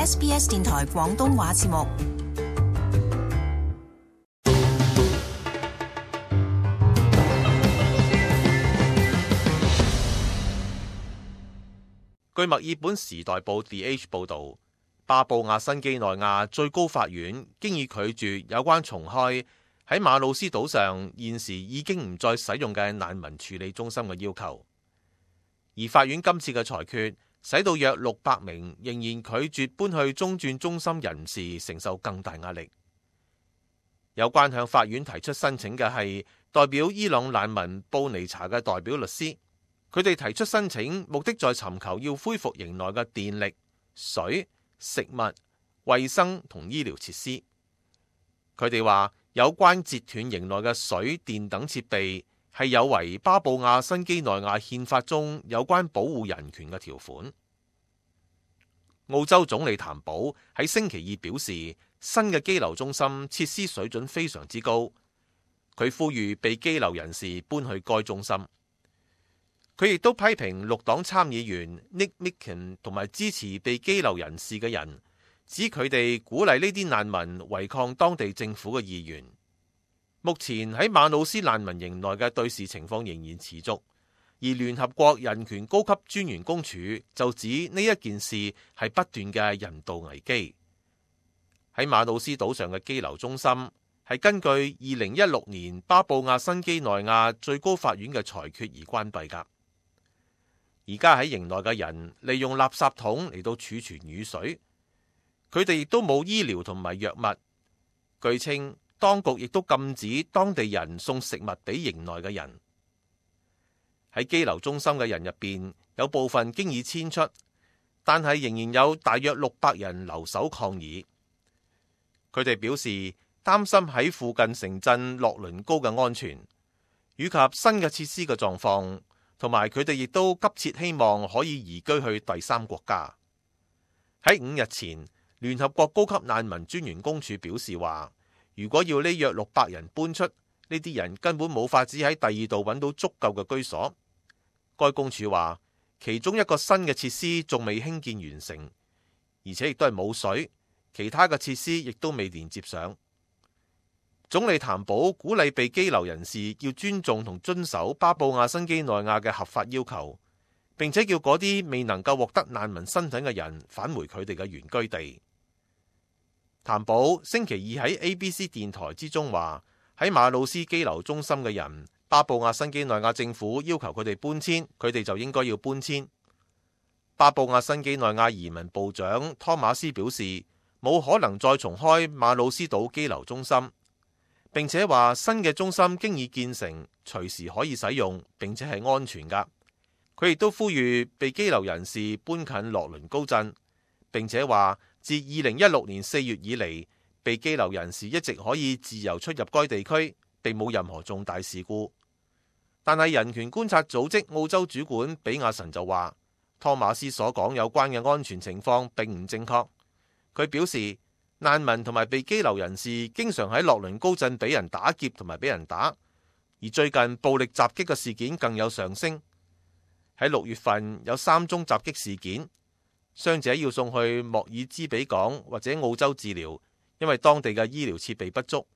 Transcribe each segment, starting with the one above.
SBS 電台廣東話節目。據墨爾本時代報 The Age 報導，巴布亞新幾內亞最高法院經已拒絕有關重開喺馬魯斯島上現時已經唔再使用嘅難民處理中心嘅要求，而法院今次嘅裁決使到約600名仍然拒絕搬去中轉中心人士承受更大壓力。有關向法院提出申請嘅係代表伊朗難民布尼查嘅代表律師，佢哋提出申請目的在尋求要恢復營內嘅電力、水、食物、衛生同醫療設施。佢哋話有關截斷營內嘅水電等設備係有違巴布亞新幾內亞憲法中有關保護人權嘅條款。澳洲總理譚寶喺星期二表示，新嘅羈留中心設施水準非常之高，佢呼籲被羈留人士搬去該中心。佢亦都批評綠黨參議員 Nick Micken 同埋支持被羈留人士嘅人，指佢哋鼓勵呢啲難民違抗當地政府嘅意願。目前喺馬魯斯難民營內嘅對峙情況仍然持續，而聯合國人權高級專員公署就指呢一件事係不斷嘅人道危機。喺馬魯斯島上嘅羈留中心係根據2016年巴布亞新幾內亞最高法院嘅裁決而關閉㗎。而家喺營內嘅人利用垃圾桶嚟到儲存雨水，佢哋亦都冇醫療同埋藥物。據稱，當局亦都禁止當地人送食物俾營內嘅人。喺羈留中心嘅人入邊，有部分經已遷出，但係仍然有大約600人留守抗議。佢哋表示擔心喺附近城鎮洛倫高嘅安全，以及新嘅設施嘅狀況。同埋佢哋亦都急切希望可以移居去第三國家。喺5日前，聯合國高級難民專員公署表示話，如果要呢約600人搬出，呢啲人根本冇法子喺第二度揾到足夠嘅居所。該公署話，其中一個新嘅設施仲未興建完成，而且亦都係冇水，其他嘅設施亦都未連接上。總理譚寶鼓勵被羈留人士要尊重同遵守巴布亞新幾內亞嘅合法要求，並且叫嗰啲未能夠獲得難民身份嘅人返回佢哋嘅原居地。譚寶星期二喺 ABC 電台之中話，喺馬魯斯羈留中心嘅人，巴布亞新幾內亞政府要求佢哋搬遷，佢哋就應該要搬遷。巴布亞新幾內亞移民部長湯馬斯表示，冇可能再重開馬魯斯島羈留中心。並且話新嘅中心經已建成，隨時可以使用，並且係安全㗎。佢亦都呼籲被羈留人士搬近洛倫高鎮，並且話自2016年4月以嚟，被羈留人士一直可以自由出入該地區，並冇任何重大事故。但係人權觀察組織澳洲主管比亞臣就話，湯馬斯所講有關嘅安全情況並唔正確。佢表示，難民同埋被羈留人士經常喺洛倫高鎮俾人打劫同埋俾人打，而最近暴力襲擊嘅事件更有上升。喺6月份有3宗襲擊事件，傷者要送去莫爾茲比港或者澳洲治療，因為當地嘅醫療設備不足。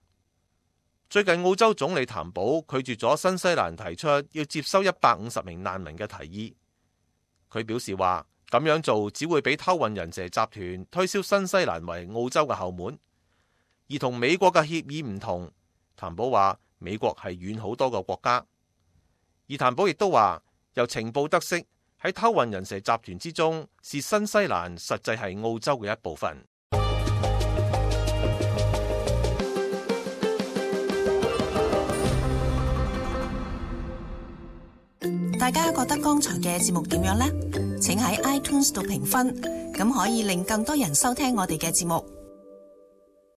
最近澳洲總理譚寶拒絕咗新西蘭提出要接收150名難民嘅提議。佢表示話，咁樣做只會俾偷運人蛇集團推銷新西蘭為澳洲嘅後門，而同美國嘅協議唔同。譚寶話美國係遠好多個國家，而譚寶亦都話由情報得悉喺偷運人蛇集團之中，是新西蘭實際係澳洲嘅一部分。大家覺得剛才嘅節目點樣呢？請喺 iTunes 度評分，咁可以令更多人收聽我哋嘅節目。